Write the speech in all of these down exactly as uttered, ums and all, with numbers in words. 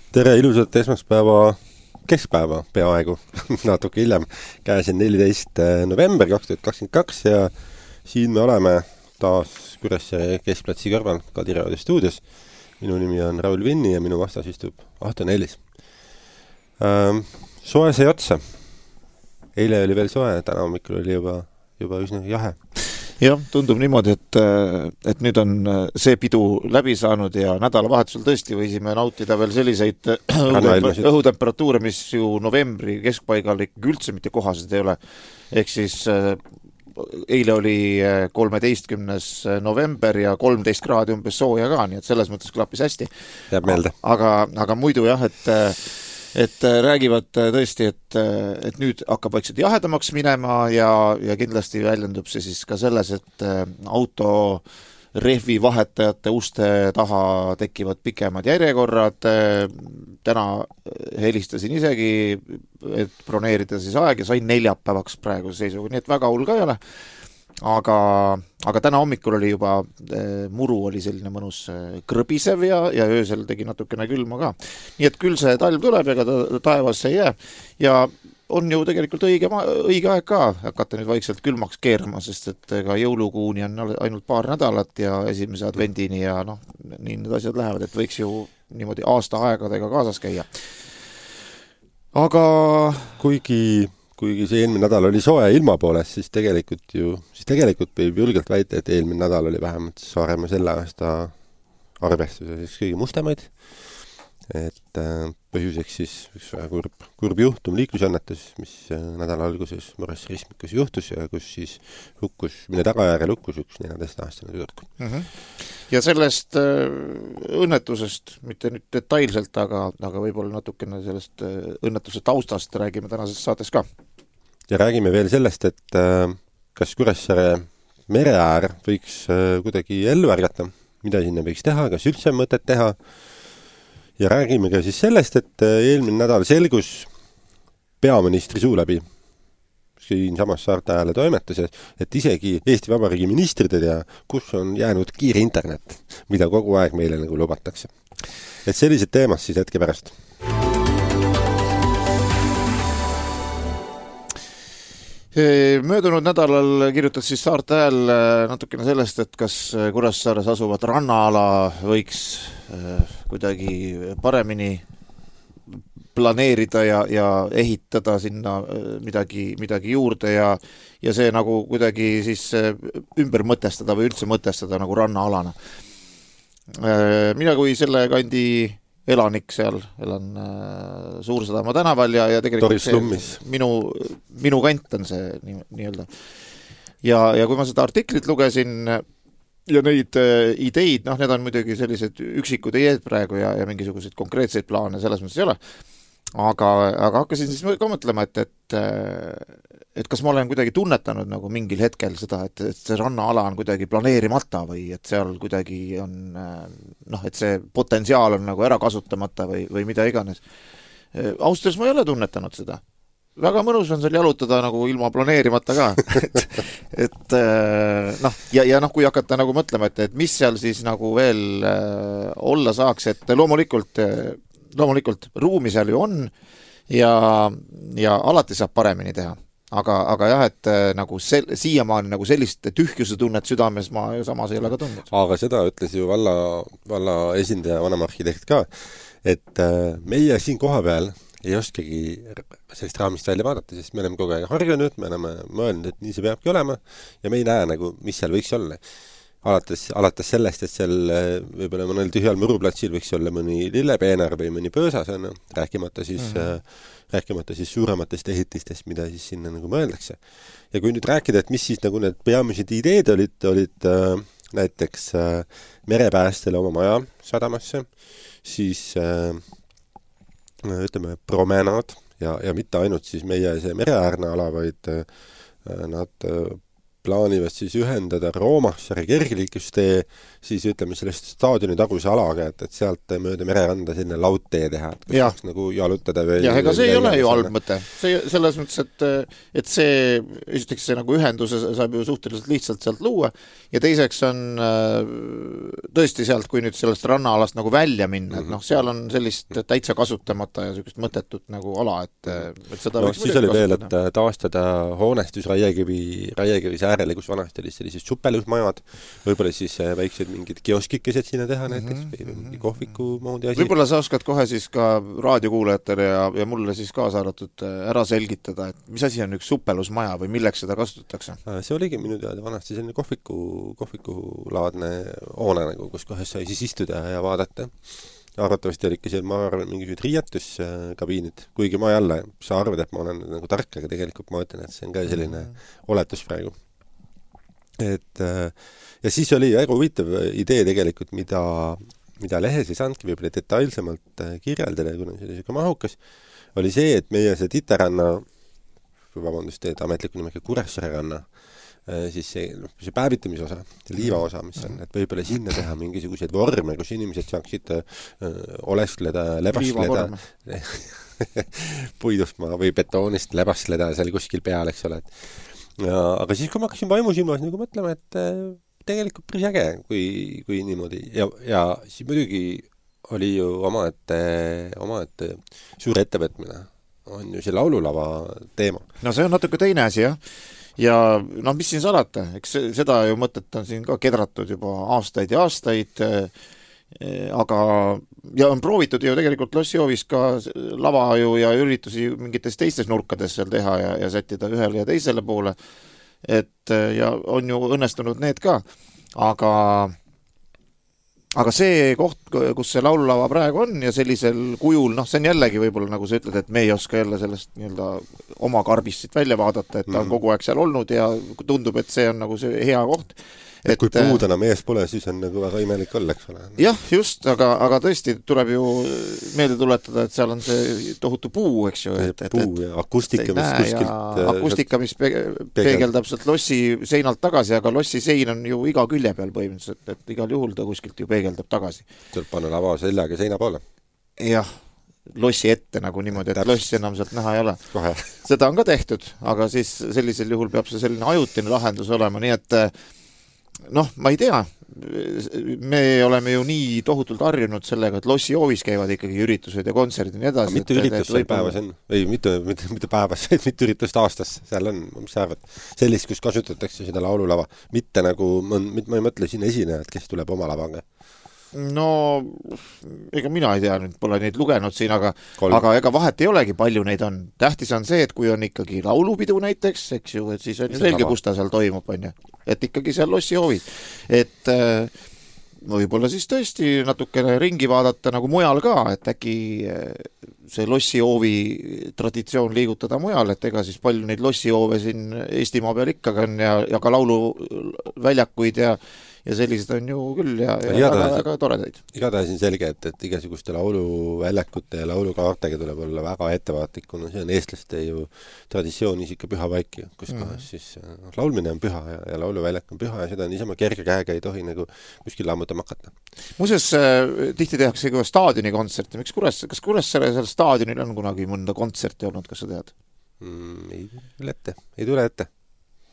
Tere, ilusat esmaspäeva, keskpäeva peaaegu, natuke hiljem, käes on neliteist november kaks tuhat kakskümmend kaks ja siin me oleme taas Kuressaare keskplatsi kõrval Kadiraudi stuudios. Minu nimi on Raul Vinni ja minu vastas istub Ahto Nellis. Ähm, soe sai otsa. Eile oli veel soe, täna hommikul oli juba, juba üsna jahe. Jah, tundub niimoodi, et, et nüüd on see pidu läbi saanud ja nädalavahetusel tõesti võisime nautida veel selliseid õhutemperatuure, mis ju novembri keskpaigal ikkagi üldse mitte kohased ei ole. Ehk siis eile oli kolmeteistkümnes november ja kolmteist kraadi umbes sooja ka, nii et selles mõttes klappis hästi. Jääb meelde. Aga, aga muidu jah, et et räägivad tõesti, et, et nüüd hakkab vaikselt jahedamaks minema ja, ja kindlasti väljendub see siis ka selles, et auto rehvi vahetajate uste taha tekivad pikemad järjekorrad. Täna helistasin isegi, et broneerida siis aeg ja sain neljapäevaks praegu seisuga, nii et väga hull ka ei ole. Aga, aga täna hommikul oli juba, muru oli selline mõnus krõbisev ja, ja öösel tegi natukene külma ka. Nii et küll see talv tuleb, ega ta taevas ei jää. Ja on ju tegelikult õige, õige aeg ka hakata nüüd vaikselt külmaks keerama, sest et ka jõulukuuni on ainult paar nädalat ja esimese advendini ja noh, nii need asjad lähevad, et võiks ju niimoodi aasta aegadega kaasas käia. Aga kuigi kuigi see eelmine nädal oli soe ilma poolest, siis tegelikult ju, siis tegelikult võib julgelt väita, et eelmine nädal oli vähemalt Saaremaa selle aasta arvestuses kõige mustemaid. Et põhjuseks siis üks väga kurb, kurb juhtum liiklusõnnetus, mis nädala alguses Mures Ristmikus juhtus ja kus siis hukkus, mille tagajärjel hukkus üks neljateist-aastane tüdruk. Mm-hmm. Ja sellest õnnetusest, mitte nüüd detailselt, aga, aga võib-olla natukene sellest õnnetuse taustast räägime tänases saates ka. Ja räägime veel sellest, et kas Kuressaare mereäär võiks kuidagi ellu ärgata, mida sinna võiks teha, kas üldse mõtet teha. Ja räägime ka siis sellest, et eelmine nädal selgus peaministri suu läbi siin samas Saarte Hääle toimetuses, et isegi Eesti Vabariigi ministrid ei tea, kus on jäänud kiire internet, mida kogu aeg meile nagu lubatakse. Et sellised teemad siis hetke pärast. Möödunud nädalal kirjutas siis Saarte Hääl natukene sellest, et kas Kuressaares asuvat rannaala võiks kuidagi paremini planeerida ja, ja ehitada sinna midagi, midagi juurde ja, ja see nagu kuidagi siis ümber mõtestada või üldse mõtestada nagu rannaalana. Mina kui selle kandi elanik seal, elan Suursadama tänaval ja, ja tegelikult see, minu, minu kant on see nii, nii-öelda. Ja, ja kui ma seda artiklit lugesin ja neid ideid, noh, need on muidugi sellised üksikud ideed praegu ja, ja mingisuguseid konkreetseid plaane selles mõttes ei ole. Aga, aga hakkasin siis ka mõtlema, et, et, et kas ma olen kuidagi tunnetanud nagu mingil hetkel seda, et, et see rannaala on kuidagi planeerimata või et seal kuidagi on, noh, et see potentsiaal on nagu ära kasutamata või, või mida iganes. Austres ma ei ole tunnetanud seda. Väga mõnus on seal jalutada nagu ilma planeerimata ka. et, et noh, ja, ja noh, kui hakata nagu mõtlema, et, et mis seal siis nagu veel äh, olla saaks, et loomulikult, loomulikult ruumi seal ju on ja, ja alati saab paremini teha. Aga, aga jah, et nagu sel, siiamaani nagu sellist tühjuse tunnet südames ma samas ei ole ka tundnud. Aga seda ütles ju valla, valla esindaja, vanemarhitekt ka, et meie siin koha peal ei oskagi sellist raamist välja vaadata, sest me oleme kogu aeg harjunud, me oleme mõelnud, et nii see peabki olema ja me ei näe nagu, mis seal võiks olla. Alates, alates sellest, et seal võib-olla mõnel tühjal muruplatsil võiks olla mõni lillepeenar või mõni pöösas, on, rääkimata siis, mm-hmm. rääkimata siis suurematest ehitistest, mida siis sinna nagu mõeldakse. Ja kui nüüd rääkida, et mis siis nagu need peamised ideed olid, olid äh, näiteks äh, merepäästele oma maja sadamasse, siis äh, ütleme promenad ja, ja mitte ainult siis meie see mereäärne ala, vaid äh, nad äh, plaanivad siis ühendada Roomassaare kergliiklustee siis ütleme sellest staadioni taguse alaga, et, et sealt mööda mereranda selline laudtee teha, et kus Ja. saaks nagu jalutada või... jah, ega see ei ole ju selle- halb mõte. See selles mõttes, et, et see, esiteks see nagu ühenduse saab ju suhteliselt lihtsalt sealt luua ja teiseks on äh, tõesti sealt, kui nüüd sellest rannaalast nagu välja minna, et noh, seal on sellist täitsa kasutamata ja sellist mõttetut nagu ala, et, et seda No võiks siis oli veel, et taastada hoonestus Raiekivi, Raiekivis äärele, kus vanasti oli sellised suppelusmajad, võib-olla siis äh, väiksed mingid kioskikesed sinna teha näiteks või mingi kohviku moodi asi. võib-olla sa oskad kohe siis ka raadiokuulajatele ja, ja mulle siis kaasa arvatud ära selgitada, et mis asi on üks suppelusmaja või milleks seda kasutatakse? See oligi minu teada vanasti selline kohviku, kohvikulaadne hoone nagu, kus kohes sai siis istuda ja vaadata. Arvatavasti oli ikka seal, ma arvan, mingisugused riietuskabiinid, kuigi ma jälle, sa arvad, et ma olen nagu tark, aga tegelikult ma ütlen, et see on ka selline oletus praegu. Et ja siis oli väga huvitav idee tegelikult, mida, mida lehes ei saanudki võib-olla detailsemalt kirjeldada, kuna see oli siuke mahukas, oli see, et meie see Titeranna, vabandust, et ametliku nimega Kuressaare ranna, siis see, noh, see päevitamise osa, liiva osa, mis on, et võib-olla sinna teha mingisuguseid vorme, kus inimesed saaksid öö, olestleda, lebastleda puidust või betoonist lebastleda seal kuskil peal, eks ole. Ja, aga siis, kui ma hakkasin vaimusilmas nagu mõtlema, et tegelikult päris äge, kui, kui niimoodi. Ja, ja siis muidugi oli ju oma, et, oma, et suur ettevõtmine on ju see laululava teema. No see on natuke teine asi, jah. Ja noh, mis siin salata, eks seda ju mõtet on siin ka kedratud juba aastaid ja aastaid, aga ja on proovitud ju tegelikult Lossijoovis ka lava ju ja üritusi mingites teistes nurkades seal teha ja, ja sättida ühele ja teisele poole, et ja on ju õnnestunud need ka, aga aga see koht, kus see laululava praegu on ja sellisel kujul, noh, see on jällegi võib-olla, nagu sa ütled, et me ei oska jälle sellest nii-öelda oma karbist siit välja vaadata, et ta on kogu aeg seal olnud ja tundub, et see on nagu see hea koht. Et, et kui puud enam ees pole, siis on nagu väga imelik olla, eks ole. Jah, just, aga, aga tõesti tuleb ju meelde tuletada, et seal on see tohutu puu, eks ju. Et, et, puu ja akustika, mis kuskilt... Akustika, mis peegeldab sealt lossi seinalt tagasi, aga lossi sein on ju iga külje peal põhimõtteliselt, et, et igal juhul ta kuskilt ju peegeldab tagasi. Tuleb panna lava seljaga seina poole. Jah, lossi ette nagu niimoodi, et lossi enam sealt näha ei ole. Kohe. Seda on ka tehtud, aga siis sellisel juhul peab see selline ajutine lahendus olema, nii et noh, ma ei tea, me oleme ju nii tohutult harjunud sellega, et Lossijoovis käivad ikkagi üritused ja kontserdid ja nii edasi. Mitu üritust seal päevas on? Ei, mitu, mitu, mitu päevas, mitu üritust aastas seal on, mis sa arvad? Sellist, kus kasutatakse seda laululava. Mitte nagu, ma, ma ei mõtle siin esinejad, kes tuleb oma lavaga. No, ega mina ei tea, nüüd pole neid lugenud siin, aga, aga ega vahet ei olegi, palju neid on. Tähtis on see, et kui on ikkagi laulupidu näiteks, eks ju, et siis on ju selge, kus ta seal toimub, on ju. Et ikkagi seal Lossijoovis. Et võib-olla siis tõesti natukene ringi vaadata nagu mujal ka, et äkki see Lossijoovi traditsioon liigutada mujal, et ega siis palju neid Lossijoove siin Eestimaa peal ikkagi on ja, ja ka lauluväljakuid ja ja sellised on ju küll ja, ja väga, väga toredaid. Igatahes on selge, et, et igasuguste lauluväljakute ja laulukaartega tuleb olla väga ettevaatlik, kuna see on eestlaste ju traditsioonis ikka püha paik, kus mm. kohas siis no, laulmine on püha ja, ja lauluväljak on püha ja seda niisama kerge käega ei tohi nagu kuskil lammutama hakata. Muuseas, tihti tehakse ka staadioni kontserti. Miks Kures, kas Kuressaare seal staadionil on kunagi mõnda kontserti olnud, kas sa tead? Mm, ei tule ette, ei tule ette.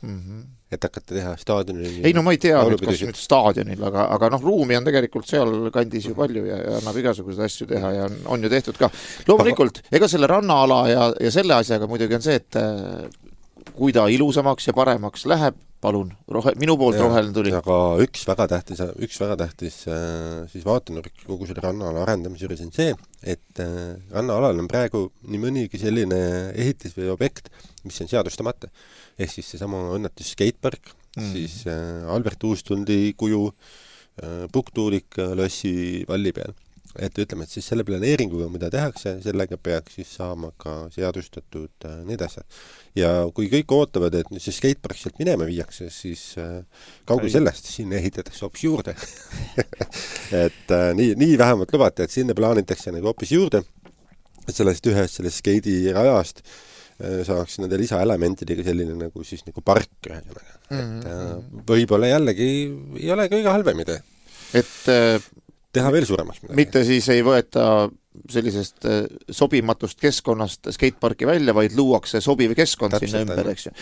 Mm-hmm. Et hakata teha staadionil. Ei no ma ei tea, nüüd, kas nüüd staadionil, aga, aga noh, ruumi on tegelikult seal kandis ju palju ja, ja annab igasuguseid asju teha ja on, on ju tehtud ka. Loomulikult, ega selle rannaala ja, ja selle asjaga muidugi on see, et kui ta ilusamaks ja paremaks läheb, palun, rohe, minu poolt roheline tuli. Aga üks väga tähtis, üks väga tähtis siis vaatenurk kogu selle rannaala arendamise juures on see, et rannaalal on praegu nii mõnigi selline ehitis või objekt, mis on seadustamata. Ehk siis seesama õnnetus skatepark, mm. siis Albert Uustuldi kuju, pukktuulik Lossi valli peal. Et ütleme, et siis selle planeeringuga, mida tehakse, sellega peaks siis saama ka seadustatud need asjad. Ja kui kõik ootavad, et see skatepark sealt minema viiakse, siis kaugel sellest siin ehitatakse hoopis juurde. et nii, nii vähemalt lubati, et sinna plaanitakse nagu hoopis juurde, sellest ühest sellest skeidi rajast saaks nende lisaelementidega selline nagu siis nagu park ühesõnaga. Mm-hmm. Et võib-olla jällegi ei ole kõige halvem idee. Et teha veel suuremaks midagi. Mitte siis ei võeta sellisest sobimatust keskkonnast skateparki välja, vaid luuakse sobiv keskkond täpselt, sinna ümber, eks ju.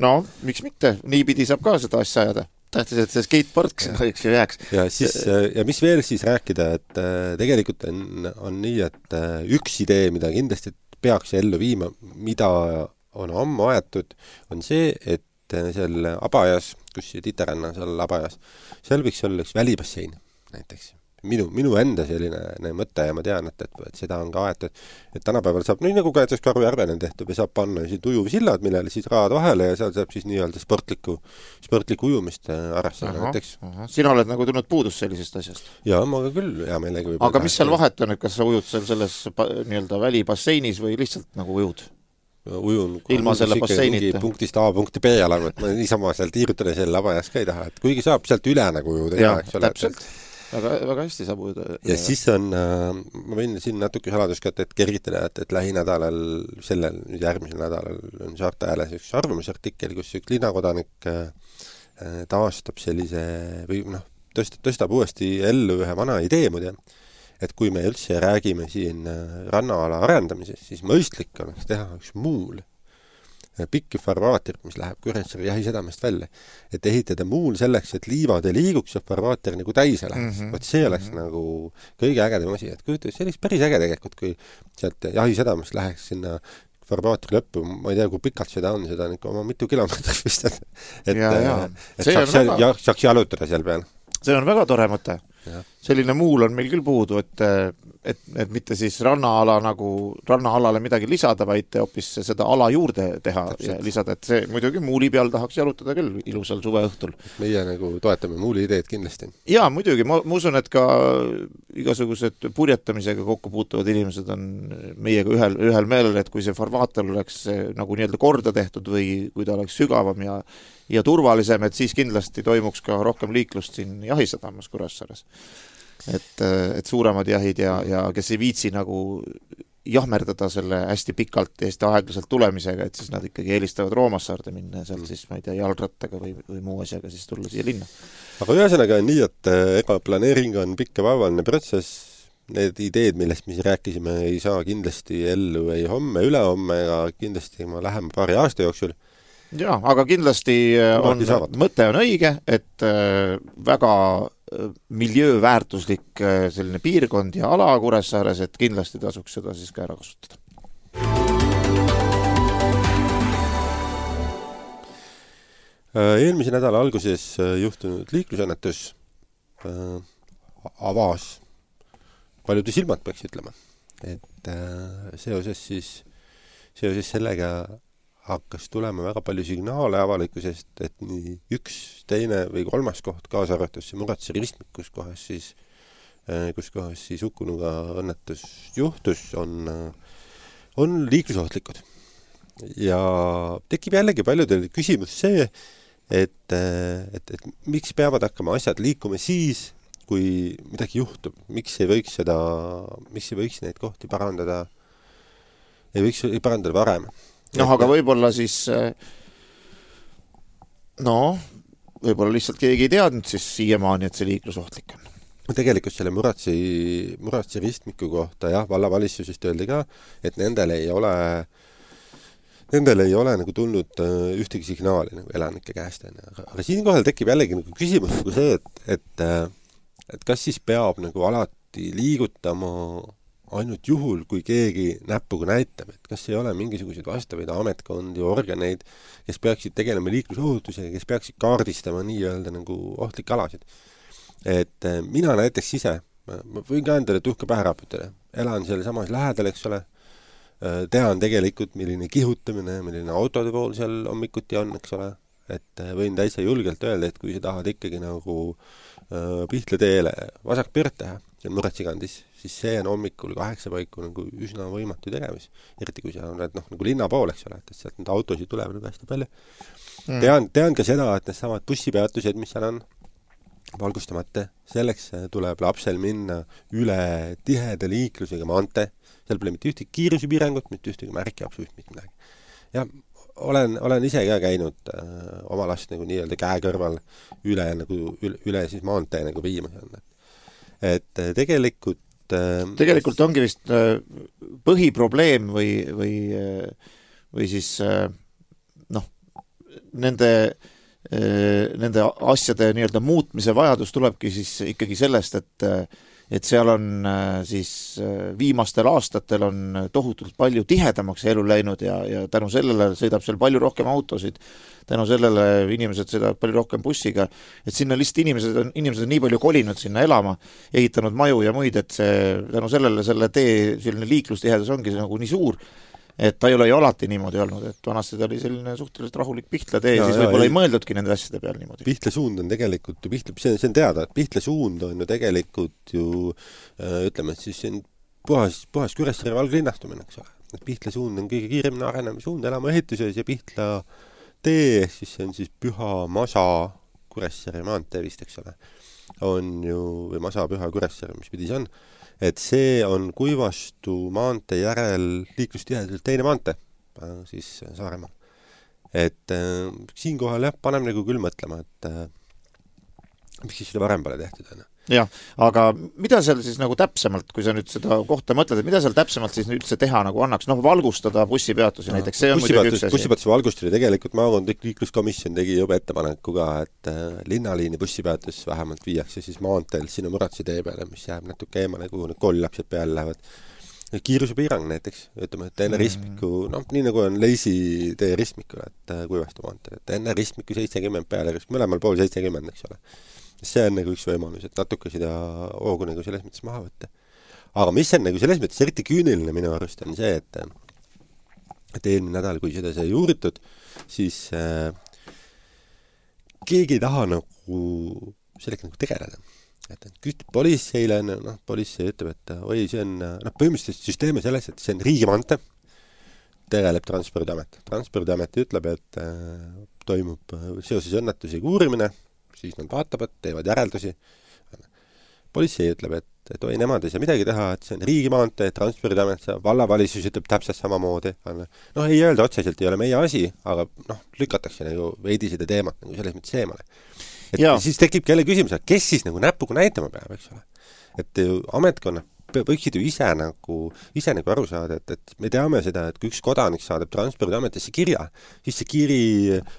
No, miks mitte? Niipidi saab ka seda asja ajada. Tähtis, et see skatepark ja. Eks ju jääks. Ja, siis, ja mis veel siis rääkida, et tegelikult on, on nii, et üks idee, mida kindlasti peaks ellu viima, mida on ammu aetud, on see, et seal Abajas, kus Titeränna seal Abajas, seal võiks olla üks välibassein näiteks. Minu, minu enda selline mõte ja ma tean, et, et, et seda on ka aetud, et tänapäeval saab, nii nagu ka jättes Karujärvene tehtud, või saab panna siin ujuvsillad, millele siis raad vahele ja seal saab siis nii-öelda sportlikku, sportlikku ujumist arvestada näiteks. Sina oled nagu tulnud puudus sellisest asjast? Jaa, ma ka küll hea meelega. Aga mis seal vahet on, et kas sa ujud seal selles nii-öelda välibasseinis või lihtsalt nagu ujud? Ujun ilma selle basseinita. Punktist A punkti B alaga, et ma niisama seal tiirutada selle Abajas ka ei taha, et kuigi saab sealt üle nagu ujuda. Jaa, täpselt. Väga, väga hästi saab ujuda. Ja siis on, ma võin siin natuke saladuskat, et kergitada, et, et lähinädalal, sellel nüüd järgmisel nädalal on Saarte Ääles üks arvamusartikkel, kus üks linnakodanik taastab sellise, või noh, tõstab, tõstab uuesti ellu ühe vana idee muide, et kui me üldse räägime siin rannaala arendamises, siis mõistlik oleks teha üks muul pikk farvaater, mis läheb Kuressaare jahisedamest välja, et ehitada muul selleks, et liivad ei liiguks ja farvaater nagu täise läheks. Mm-hmm. Võt see oleks mm-hmm. nagu kõige ägedam asi, et kujuta, see oleks päris äge tegelikult, kui sealt jahisedamest läheks sinna farvaatri lõppu, ma ei tea, kui pikalt seda on, seda on ikka oma mitu kilomeetrit vist, et, et, et saaks, väga... ja, saaks jalutada seal peal. See on väga tore mõte. Ja. Selline muul on meil küll puudu, et, et, et mitte siis rannaala nagu rannaalale midagi lisada, vaid hoopis seda ala juurde teha täpselt. Ja lisada, et see muidugi muuli peal tahaks jalutada küll ilusal suveõhtul. Meie nagu toetame muuli ideed kindlasti. Jaa, muidugi, ma, ma usun, et ka igasugused purjetamisega kokku puutuvad inimesed on meiega ühel, ühel meelel, et kui see farvaatel oleks nagu nii-öelda korda tehtud või kui ta oleks sügavam ja ja turvalisem, et siis kindlasti toimuks ka rohkem liiklust siin jahisadamas Kuressaares. Et, et suuremad jahid ja, ja kes ei viitsi nagu jahmerdada selle hästi pikalt ja hästi aeglaselt tulemisega, et siis nad ikkagi eelistavad Roomassaarde minna ja seal siis, ma ei tea, jalgrattaga või, või muu asjaga siis tulla siia linna. Aga ühesõnaga on nii, et ega planeering on pikk ja vaevaline protsess. Need ideed, millest me rääkisime, ei saa kindlasti ellu ei homme, ülehomme ja kindlasti ma läheme paari aasta jooksul. Jaa, aga kindlasti on, mõte on õige, et väga miljööväärtuslik selline piirkond ja ala Kuressaares, et kindlasti tasuks seda siis ka ära kasutada. Eelmise nädala alguses juhtunud liiklusõnnetus avas paljude silmad, peaks ütlema. Et seoses siis seoses sellega hakkas tulema väga palju signaale avalikkusest, et nii üks, teine või kolmas koht kaasa arvatus see Muratse ristmik, kus kohas siis, kus kohas siis hukkunuga õnnetus juhtus, on, on liiklusohtlikud. Ja tekib jällegi paljudel küsimus see, et, et, et miks peavad hakkama asjad liikuma siis, kui midagi juhtub. Miks ei võiks seda, miks ei võiks neid kohti parandada, ei võiks ei parandada varem. Noh, aga võib-olla siis no, võib-olla lihtsalt keegi ei teadnud siis siiamaani, et see liiklusohtlik on. Tegelikult selle Muratsi, Muratsi ristmiku kohta, jah, vallavalitsusest öeldi ka, et nendel ei ole nendel ei ole nagu tulnud ühtegi signaali nagu elanike käest. Aga, aga siin kohal tekib jällegi nagu küsimus nagu see, et, et, et kas siis peab nagu alati liigutama ainult juhul, kui keegi näpuga näitab, et kas ei ole mingisuguseid vastavaid ametkondi, organeid, kes peaksid tegelema liiklusohutusega, kes peaksid kaardistama nii-öelda nagu ohtlikke alasid. Et mina näiteks ise, ma võin ka endale tuhka pähe raputada, elan selle samas lähedal, eks ole, tean tegelikult, milline kihutamine, milline autode pool seal hommikuti on, eks ole, et võin täitsa julgelt öelda, et kui sa tahad ikkagi nagu Pihtla teele vasak pöört teha, see on Muratsikandis, siis see on hommikul kaheksa paiku nagu üsna võimatu tegemis. Eriti kui sa oled noh, nagu linna pool, eks ole, et sealt need autosid tulevad nagu hästi palju. Mm. Tean, tean ka seda, et need samad bussipeatused, mis seal on, valgustamata, selleks tuleb lapsel minna üle tiheda liiklusega maante, seal pole mitte ühtegi kiirusepiirangut, mitte ühtegi märki, absoluutselt mitte midagi. ja olen, olen ise ka käinud äh, oma last nagu nii-öelda käe kõrval üle, nagu, üle, üle siis maantee nagu viimas on. Et äh, tegelikult äh, tegelikult ongi vist äh, põhiprobleem või, või, äh, või siis äh, noh, nende äh, nende asjade nii-öelda muutmise vajadus tulebki siis ikkagi sellest, et äh, et seal on siis viimastel aastatel on tohutult palju tihedamaks elu läinud ja, ja tänu sellele sõidab seal palju rohkem autosid, tänu sellele inimesed sõidavad palju rohkem bussiga, et sinna lihtsalt inimesed on, inimesed on nii palju kolinud sinna elama, ehitanud maju ja muid, et see, tänu sellele selle tee selline liiklustihedus ongi nagu nii suur, et ta ei ole ju alati niimoodi olnud, et vanasti ta oli selline suhteliselt rahulik Pihtla tee, siis võib-olla ei mõeldudki nende asjade peal niimoodi. Pihtla suund on tegelikult ju, Pihtla, see, see on teada, et Pihtla suund on ju tegelikult ju äh, ütleme, et siis see on puhas, puhas Kuressaare valglinnastumine, eks ole. Et Pihtla suund on kõige kiiremini arenemise suund elama ehituses ja Pihtla tee, siis see on siis Püha Masa Kuressaare maantee vist, eks ole, on ju, või Masa Püha Kuressaare, mis pidi see on, et see on Kuivastu maantee järel liiklustihedalt teine maantee, siis Saaremaal. Et äh, siinkohal jah, panem nagu küll mõtlema, et äh, miks siis seda varem pole tehtud, on. Jah, aga mida seal siis nagu täpsemalt, kui sa nüüd seda kohta mõtled, et mida seal täpsemalt siis üldse teha nagu annaks, noh, valgustada bussipeatusi no, näiteks, see on muidugi üks asi. Bussipeatusi valgustada tegelikult maakondlik liikluskomisjon tegi juba ettepaneku ka, et äh, linnaliini bussipeatus vähemalt viiakse siis maanteel sinu Muratsi tee peale, mis jääb natuke eemale, kuhu need koolilapsed peale lähevad. Kiirusepiirang näiteks, ütleme, et enne mm. ristmiku, noh, nii nagu on Leisi tee ristmikul, et äh, Kuivastu maanteel, et enne ristmiku seitsekümmend peale, mõlemal pool seitsekümmend, eks ole. See on nagu üks võimalus, et natuke seda hoogu nagu selles mõttes maha võtta. Aga mis on nagu selles mõttes eriti küüniline minu arust on see, et, et eelmine nädal, kui seda sai uuritud, siis äh, keegi ei taha nagu sellega nagu tegeleda. Et küst politseile, noh, politsei ütleb, et oi, see on, noh, põhimõtteliselt süsteem on selles, et see on riigimante, tegeleb Transpordiamet. Transpordiamet ütleb, et äh, toimub seoses õnnetusega uurimine, siis nad vaatavad, teevad järeldusi. Politsei ütleb, et, et oi, nemad ei saa midagi teha, et see on riigimaantee, Transpordiamet, vallavalitsus ütleb täpselt samamoodi. Noh, ei öelda otseselt, ei ole meie asi, aga noh, lükatakse nagu veidi seda teemat nagu selles mõttes eemale. Et ja. Siis tekib kelle küsimus, et kes siis nagu näpuga näitama peab, eks ole. Et ametkonna võiksid ju ise nagu, ise nagu aru saada, et, et me teame seda, et kui üks kodanik saadab Transpordiametisse kirja, siis see kiri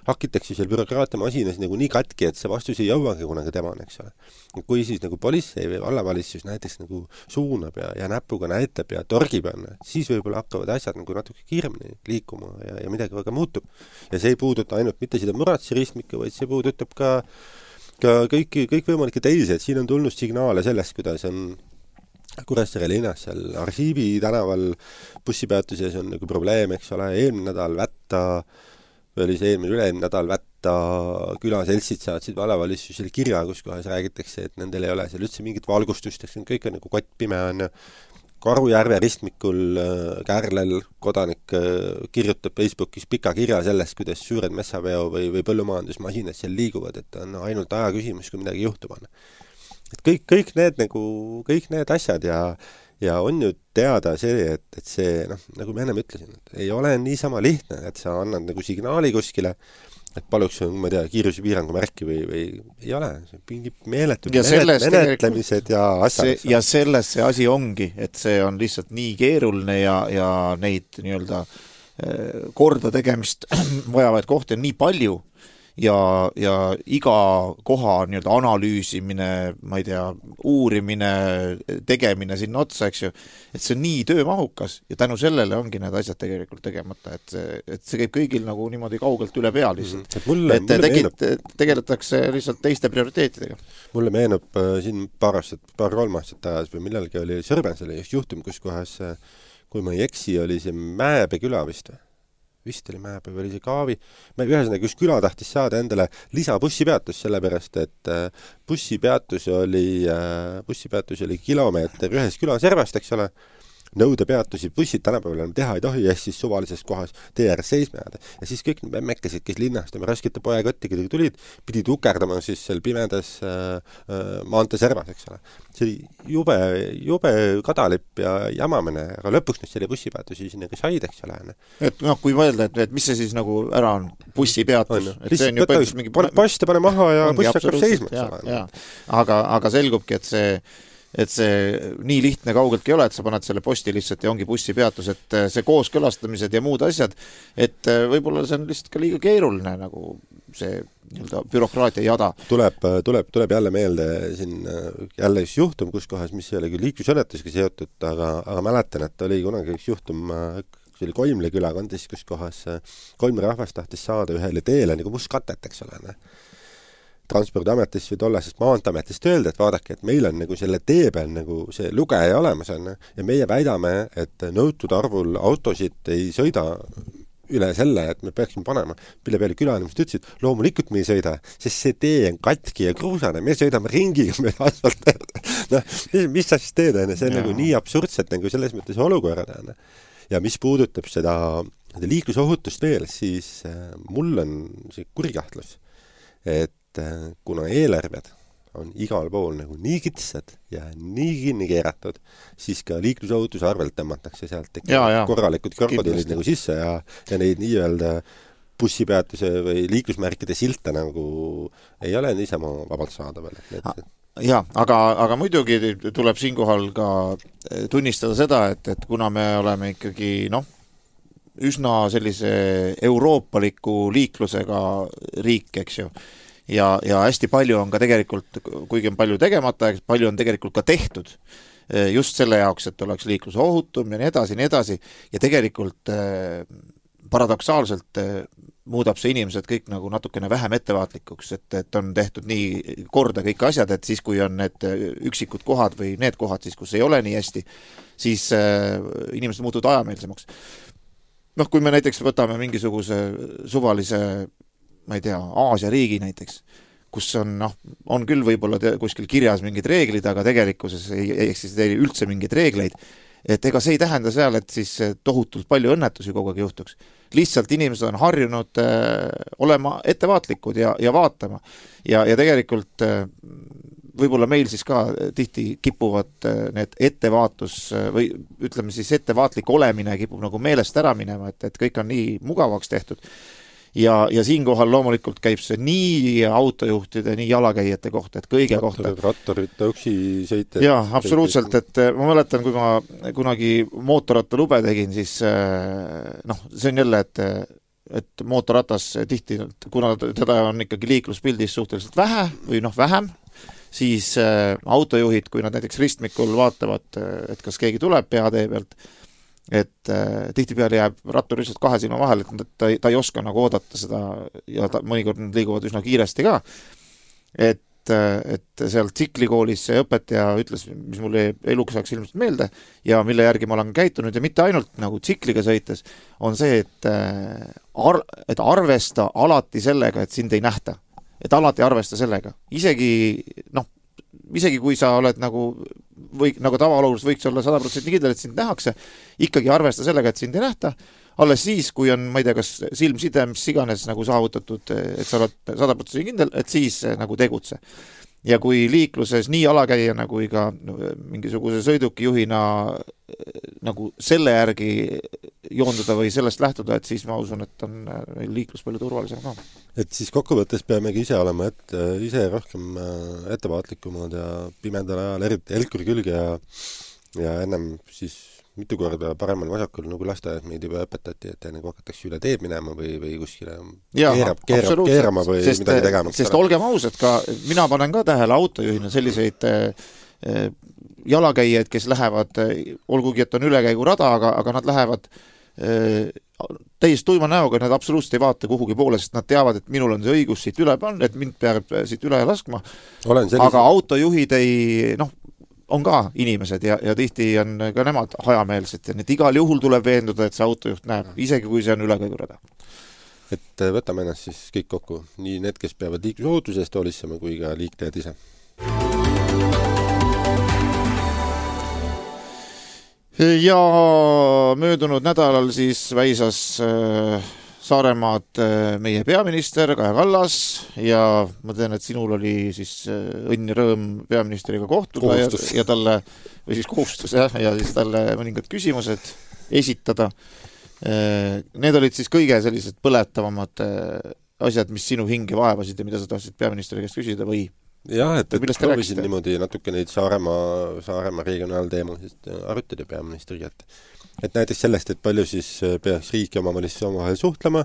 hakitakse seal bürokraatia masinas nagu nii katki, et see vastus ei jõuagi kunagi tema, eks ole. Kui siis nagu politsei või vallavalitsus näiteks nagu suunab ja, ja näpuga näitab ja torgib, siis võib-olla hakkavad asjad nagu natuke kiiremini liikuma ja, ja midagi väga muutub. Ja see ei puuduta ainult mitte seda Muratsi ristmikku, vaid see puudutab ka, ka kõiki, kõik võimalikke teisi, et siin on tulnud signaale sellest, kuidas on Kuressaare linnas seal Arhiivi tänaval bussipeatuses on nagu probleem, eks ole, eelmine nädal Vätta, või oli see eelmine üle-eelmine nädal Vätta külaseltsid saatsid vallavalitsusele kirja, kus kohas räägitakse, et nendel ei ole seal üldse mingit valgustust, eks kõik on nagu kottpime on. Karujärve ristmikul Kärlel kodanik kirjutab Facebookis pika kirja sellest, kuidas suured messaveo või, või põllumajandusmasinad seal liiguvad, et on ainult aja küsimus, kui midagi juhtub on. Et kõik, kõik need nagu, kõik need asjad ja, ja on ju teada see, et, et see, noh, nagu me ennem ütlesin, et ei ole niisama lihtne, et sa annad nagu signaali kuskile, et paluks, ma ei tea, kiirusepiirangu märki või, või ei ole, see mingi meeletud menet, menetlemised ja asjad. Ja selles see asi ongi, et see on lihtsalt nii keeruline ja, ja neid nii-öelda korda tegemist vajavaid kohti on nii palju, ja, ja iga koha nii-öelda analüüsimine, ma ei tea, uurimine, tegemine sinna otsa, eks ju, et see on nii töömahukas ja tänu sellele ongi need asjad tegelikult tegemata, et see, et see käib kõigil nagu niimoodi kaugelt üle pea lihtsalt. Et mulle, et mulle tegid, meenub, tegeletakse lihtsalt teiste prioriteetidega. Mulle meenub äh, siin paar aastat, paar kolm aastat ajas või millalgi oli Sõrbensele just juhtum, kus kohas, kui ma ei eksi, oli see Mäebe küla vist või? Vist oli Mäebe või oli see Kaavi. Me ühesõnaga, kus küla tahtis saada endale lisabussipeatus, sellepärast, et bussipeatus oli, bussipeatus oli kilomeeter ühes külaservast, eks ole, nõudepeatusi, bussid tänapäeval enam teha ei tohi, ja siis suvalises kohas tee ääres seisma jääda. Ja siis kõik need memmekesed, kes linnast oma raskete poekottidega tulid, pidid ukerdama siis seal pimedas äh, äh, maantee servas, eks ole. See oli jube, jube kadalipp ja jamamine, aga lõpuks nüüd selle bussipeatusi sinna ka said, eks ole. Et noh, kui mõelda, et, et mis see siis nagu ära on, bussipeatus, et see on ju põhjus mingi... Post pane maha ja buss hakkab seisma, eks ole. Aga, aga selgubki, et see et see nii lihtne kaugeltki ei ole, et sa paned selle posti lihtsalt ja ongi bussipeatus, et see kooskõlastamised ja muud asjad, et võib-olla see on lihtsalt ka liiga keeruline nagu see nii-öelda bürokraatia jada. Tuleb, tuleb, tuleb jälle meelde siin jälle üks juhtum, kus kohas, mis ei ole küll liiklusõnnetusega seotud, aga, aga mäletan, et oli kunagi üks juhtum, see oli Koimle külakondis, kus kohas Koimle rahvas tahtis saada ühele teele nagu mustkatet, eks ole, ne? Transpordiametist või tollasest maanteametist öelda, et vaadake, et meil on nagu selle tee peal nagu see lugeja olemas on ja meie väidame, et nõutud arvul autosid ei sõida üle selle, et me peaksime panema. Pille peale külanemist ütlesid, loomulikult me ei sõida, sest see tee on katki ja kruusane, me sõidame ringiga, me asfalt. No, mis, mis sa siis teed, see on ja. nagu nii absurdset nagu selles mõttes olukorrad. Ja mis puudutab seda, seda liiklusohutust veel, siis mul on see kurikahtlus, et kuna eelarved on igal pool nagu nii kitsad ja nii kinni keeratud, siis ka liiklusohutuse arvelt tõmmatakse sealt ja, ja. korralikud krokodillid nagu sisse ja, ja neid nii-öelda bussipeatuse või liiklusmärkide silte nagu ei ole niisama vabalt saada veel. Et... Ja, aga, aga muidugi tuleb siinkohal ka tunnistada seda, et, et kuna me oleme ikkagi noh, üsna sellise euroopaliku liiklusega riik, eks ju, Ja, ja hästi palju on ka tegelikult, kuigi on palju tegemata, palju on tegelikult ka tehtud just selle jaoks, et oleks liiklus ohutum ja nii edasi, nii edasi. Ja tegelikult paradoksaalselt muudab see inimesed kõik nagu natukene vähem ettevaatlikuks, et, et on tehtud nii korda kõik asjad, et siis kui on need üksikud kohad või need kohad, siis kus ei ole nii hästi, siis inimesed muutuvad ajameelsemaks. Noh, kui me näiteks võtame mingisuguse suvalise ma ei tea, Aasia riigi näiteks, kus on, noh, on küll võib-olla te, kuskil kirjas mingid reeglid, aga tegelikkuses ei, ei eksisteeri üldse mingeid reegleid, et ega see ei tähenda seal, et siis tohutult palju õnnetusi kogu aeg juhtuks. Lihtsalt inimesed on harjunud äh, olema ettevaatlikud ja, ja vaatama. Ja, ja tegelikult äh, võib-olla meil siis ka tihti kipuvad äh, need ettevaatus äh, või ütleme siis ettevaatlik olemine kipub nagu meelest ära minema, et, et kõik on nii mugavaks tehtud. Ja, ja siinkohal loomulikult käib see nii autojuhtide, nii jalakäijate kohta, et kõige kohta. Rattorite üksi sõite. Jaa, absoluutselt, et ma mäletan, kui ma kunagi mootorratta lube tegin, siis noh, see on jälle, et, et mootorratas tihti, kuna teda on ikkagi liikluspildis suhteliselt vähe või noh, vähem, siis autojuhid, kui nad näiteks ristmikul vaatavad, et kas keegi tuleb peatee pealt, et äh, tihtipeale jääb rattur lihtsalt kahe silma vahel, et ta, ta ei oska nagu oodata seda ja ta, mõnikord nad liiguvad üsna kiiresti ka. Et, et seal tsiklikoolis see õpetaja ütles, mis mulle eluks saaks ilmselt meelde ja mille järgi ma olen käitunud ja mitte ainult nagu tsikliga sõites, on see, et, ar, et arvesta alati sellega, et sind ei nähta. Et alati arvesta sellega. Isegi, noh, isegi kui sa oled nagu või nagu tavaolukorras võiks olla sada protsenti kindel, et sind nähakse, ikkagi arvesta sellega, et sind ei nähta, alles siis, kui on, ma ei tea, kas silmside, mis iganes nagu saavutatud, et sa oled sada protsenti kindel, et siis nagu tegutse. Ja kui liikluses nii alakäijana kui ka mingisuguse sõidukijuhina nagu selle järgi joonduda või sellest lähtuda, et siis ma usun, et on liiklus palju turvalisem ka. Et siis kokkuvõttes peamegi ise olema et, ise rohkem ettevaatlikumad ja pimendal ajal eriti elkuri külge ja, ja ennem siis mitu korda paremal vasakul nagu lasteaed meid juba õpetati, et enne kui hakatakse üle teed minema või, või kuskile keerab, keerab, keerama või sest, midagi tegema. Sest olgem ausad, ka mina panen ka tähele autojuhina selliseid äh, jalakäijaid, kes lähevad, olgugi et on ülekäigurada, aga, aga nad lähevad äh, täiesti tuima näoga, nad absoluutselt ei vaata kuhugi poole, sest nad teavad, et minul on see õigus siit üle panna, et mind peab siit üle laskma. Sellise... Aga autojuhid ei, noh, on ka inimesed ja, ja tihti on ka nemad hajameelsed ja need igal juhul tuleb veenduda, et see autojuht näeb, isegi kui see on ülekäigurada. Et võtame ennast siis kõik kokku, nii need, kes peavad liiklusohutusest hoolitsema, kui ka liiklejad ise. ja möödunud nädalal siis väisas Saaremaad meie peaminister Kaja Kallas ja ma tean, et sinul oli siis õnn ja rõõm peaministriga kohtuda ja, ja talle, või siis kohustus jah, ja siis talle mõningad küsimused esitada. Need olid siis kõige sellised põletavamad asjad, mis sinu hinge vaevasid ja mida sa tahtsid peaministri käest küsida või? Jah, et, et proovisin niimoodi natuke neid Saaremaa, Saaremaa regionaalteemasid arutada peaministriga, et et näiteks sellest, et palju siis peaks riik ja omavalitsuse omavahel suhtlema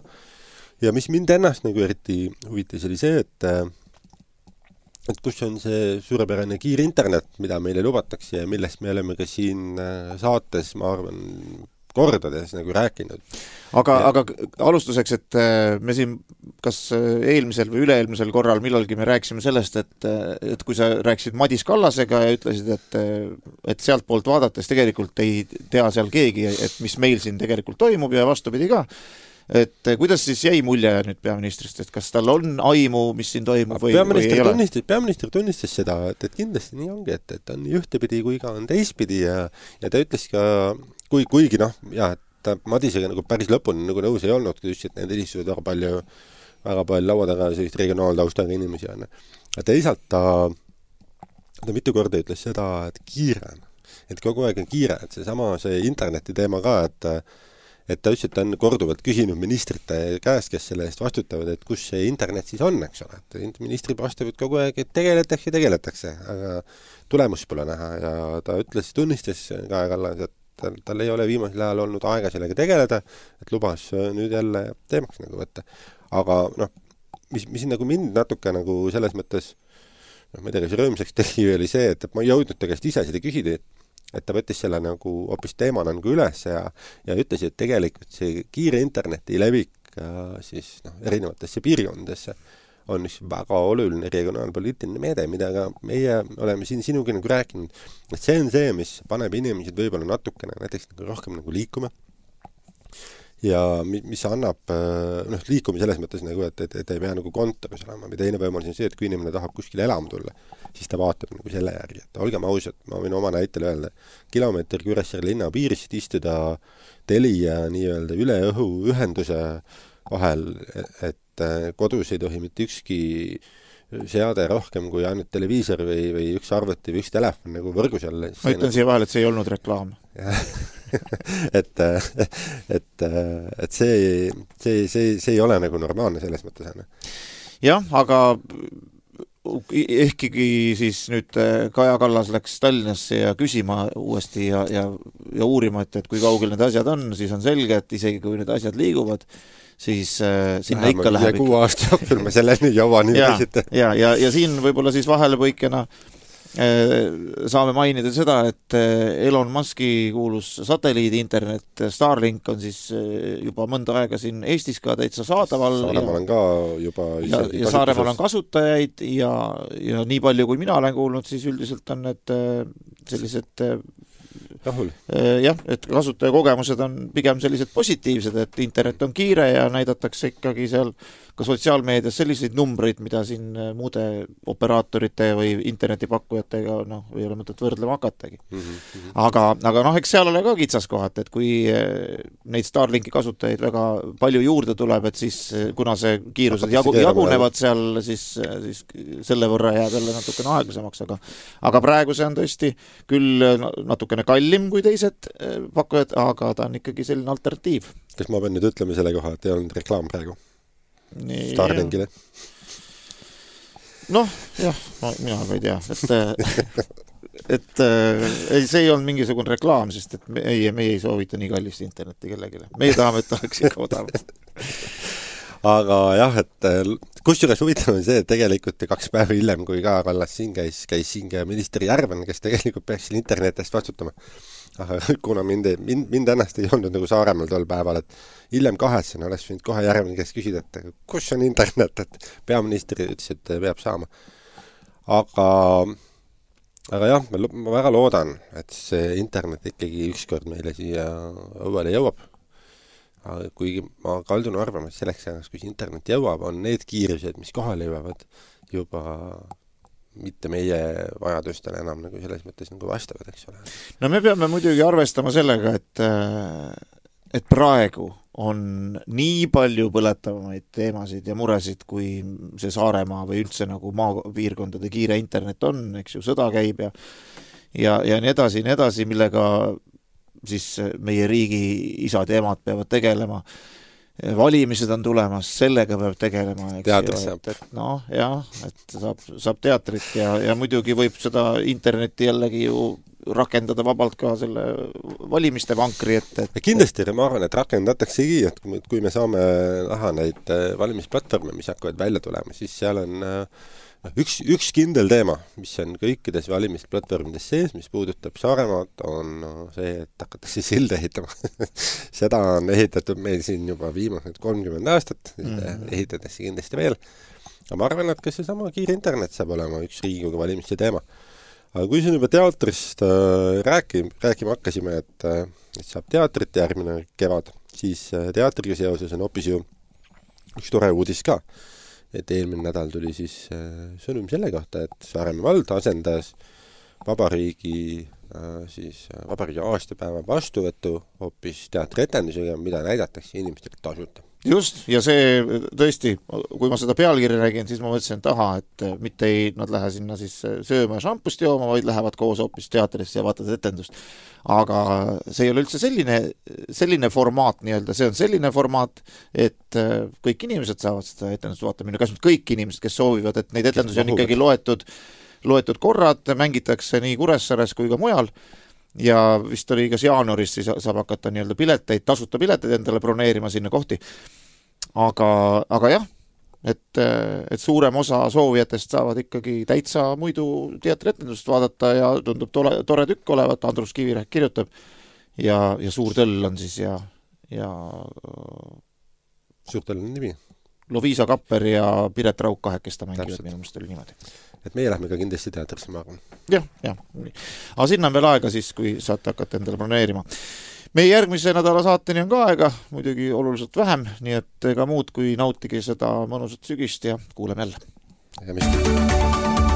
ja mis mind ennast nagu eriti huvitas oli see, et et kus on see suurepärane kiire internet, mida meile lubatakse ja millest me oleme ka siin saates, ma arvan, kordades nagu rääkinud. Aga, aga alustuseks, et me siin kas eelmisel või üle-eelmisel korral millalgi me rääkisime sellest, et, et kui sa rääkisid Madis Kallasega ja ütlesid, et, et sealt poolt vaadates tegelikult ei tea seal keegi, et mis meil siin tegelikult toimub ja vastupidi ka, et kuidas siis jäi mulje nüüd peaministrist, et kas tal on aimu, mis siin toimub või, või ei ole? Tunnistas, peaminister tunnistas seda, et, et kindlasti nii ongi, et, et on ühtepidi kui ka on teistpidi ja, ja ta ütles ka Kui, kuigi noh, jah, et ta Madisega nagu päris lõpuni nagu nõus ei olnud, kui ütles, et need istuvad väga palju, väga palju laua taga sellist regionaaltaustaga inimesi on. Ja teisalt ta, ta mitu korda ütles seda, et kiire on. Et kogu aeg on kiire, et see sama see interneti teema ka, et, et ta ütles, et ta on korduvalt küsinud ministrite käest, kes selle eest vastutavad, et kus see internet siis on, eks ole. Et ministrid vastavad kogu aeg, et tegeletakse ja tegeletakse, aga tulemus pole näha ja ta ütles, tunnistas Kaja Kallas, et Tal, tal ei ole viimasel ajal olnud aega sellega tegeleda, et lubas nüüd jälle teemaks nagu võtta. Aga noh, mis, mis nagu mind natuke nagu selles mõttes, noh, ma ei tea, kas rõõmsaks tegi oli see, et ma ei jõudnud ta käest ise seda küsida, et ta võttis selle nagu hoopis teemana nagu üles ja, ja ütles, et tegelikult see kiire interneti levik siis noh, erinevatesse piirkondadesse on üks väga oluline regionaalpoliitiline meede, mida ka meie oleme siin sinugi nagu rääkinud, et see on see, mis paneb inimesed võib-olla natukene näiteks nagu rohkem nagu liikuma ja mis annab noh, liikuma selles mõttes nagu, et, et, et ei pea nagu kontoris olema või teine võimalus on see, et kui inimene tahab kuskile elama tulla, siis ta vaatab nagu selle järgi, et olgem ausad, ma võin oma näitel öelda, kilomeeter Kuressaare linna piirist istuda Telia nii-öelda üle õhu ühenduse vahel, et kodus ei tohi mitte ükski seade rohkem kui ainult televiisor või, või üks arvuti või üks telefon nagu võrgus jälle. Ma ütlen siia vahel, et see ei olnud reklaam. et, et, et see, see, see, see ei ole nagu normaalne selles mõttes. Jah, aga ehkigi siis nüüd Kaja Kallas läks Tallinnasse ja küsima uuesti ja, ja, ja uurima, et, et kui kaugel need asjad on, siis on selge, et isegi kui need asjad liiguvad, siis äh, sinna Vähemalt ikka läheb kuu aasta jooksul me selleni jõua nii ja, ja, ja, ja siin võib-olla siis vahelepõikena äh, saame mainida seda, et Elon Muski kuulus satelliidi internet Starlink on siis juba mõnda aega siin Eestis ka täitsa saadaval. Saaremaal on ka juba ja, ja Saaremaal on kasutajaid ja, ja nii palju, kui mina olen kuulnud, siis üldiselt on need sellised rahul. Jah, et kasutajakogemused on pigem sellised positiivsed, et internet on kiire ja näidatakse ikkagi seal ka sotsiaalmeedias selliseid numbreid, mida siin muude operaatorite või internetipakkujatega noh, ei ole mõtet võrdlema hakatagi. Mm -hmm. Aga, aga noh, eks seal ole ka kitsaskohad, et kui neid Starlinki kasutajaid väga palju juurde tuleb, et siis kuna see kiirused jagu, jagunevad seal, siis, siis selle võrra jääb jälle natukene aeglasemaks, aga, aga praegu see on tõesti küll natukene kallim kui teised pakkujad, aga ta on ikkagi selline alternatiiv. Kas ma pean nüüd ütlema selle koha, et ei olnud reklaam praegu? Starlinkile. Noh, jah, ma, mina ka ei tea, et, et ei, see ei olnud mingisugune reklaam, sest et meie, meie ei soovita nii kallist internetti kellegile. Meie tahame, et oleks ikka odav. Aga jah, et kusjuures huvitav on see, et tegelikult kaks päeva hiljem, kui Kaja Kallas siin käis, käis siin ka minister Järven, kes tegelikult peaks siin internetist vastutama. Aga kuna mind, mind, mind ennast ei olnud nagu Saaremaal tol päeval, et hiljem kahetsen oleks võinud kohe Järven, kes küsida, et kus on internet, et peaminister ütles, et peab saama. Aga, aga jah, ma, ma väga loodan, et see internet ikkagi ükskord meile siia õuele jõuab. Aga kuigi ma kaldun arvama, et selleks ajaks, kui internet jõuab, on need kiirused, mis kohale jõuavad, juba mitte meie vajadustele enam nagu selles mõttes nagu vastavad, eks ole. No me peame muidugi arvestama sellega, et, et praegu on nii palju põletavamaid teemasid ja muresid, kui see Saaremaa või üldse nagu maapiirkondade kiire internet on, eks ju, sõda käib ja ja, ja nii edasi, nii edasi, millega siis meie riigi isad ja emad peavad tegelema. Valimised on tulemas, sellega peab tegelema. Teatris saab. No, jah, et saab, saab teatrit ja, ja muidugi võib seda internetti jällegi ju rakendada vabalt ka selle valimiste vankri, et, et... Kindlasti ma arvan, et rakendataksegi, et kui me saame näha neid valimisplatvorme, mis hakkavad välja tulema, siis seal on üks, üks kindel teema, mis on kõikides valimisplatvormides sees, mis puudutab Saaremaad, on see, et hakatakse silde ehitama. Seda on ehitatud meil siin juba viimased kolmkümmend aastat, mm-hmm. ehitatakse kindlasti veel. Aga ma arvan, et ka seesama kiire internet saab olema üks Riigikogu valimiste teema. Aga kui siin juba teatrist äh, rääkima, rääkima hakkasime, et, äh, et saab teatrit järgmine kevad, siis äh, teatriga seoses on hoopis ju üks tore uudis ka. Et eelmine nädal tuli siis äh, sõnum selle kohta, et Saaremaa vald asendas vabariigi, äh, siis, äh, vabariigi aastapäeva vastuvõttu hoopis teatritendusega, mida näidatakse inimestele tasuta. Just, ja see tõesti, kui ma seda pealkirja räägin, siis ma mõtlesin taha, et mitte ei, nad lähe sinna siis sööma ja šampust jooma, vaid lähevad koos hoopis teatrisse ja vaatavad etendust. Aga see ei ole üldse selline, selline formaat nii-öelda, see on selline formaat, et kõik inimesed saavad seda etendust vaatama, kas nüüd kõik inimesed, kes soovivad, et neid etendusi on ikkagi loetud, loetud korrad, mängitakse nii Kuressaares kui ka mujal, ja vist oli kas jaanuaris, siis saab hakata nii-öelda pileteid, tasuta pileteid endale broneerima sinna kohti. Aga, aga jah, et, et suurem osa soovijatest saavad ikkagi täitsa muidu teatritendust vaadata ja tundub tore, tore tükk olevat, Andrus Kivirähk kirjutab ja, ja Suur Tõll on siis ja, ja Suur Tõll on nimi. Loviisa Kapper ja Piret Rauk kahekesta mängivad, minu mõist oli niimoodi. Et meie lähme ka kindlasti teatrisse, ma arvan. Jah, jah. Aga sinna on veel aega siis, kui saate hakata endale broneerima. Meie järgmise nädala saateni on ka aega, muidugi oluliselt vähem, nii et ega muud kui nautige seda mõnusat sügist ja kuuleme jälle. Ja mis?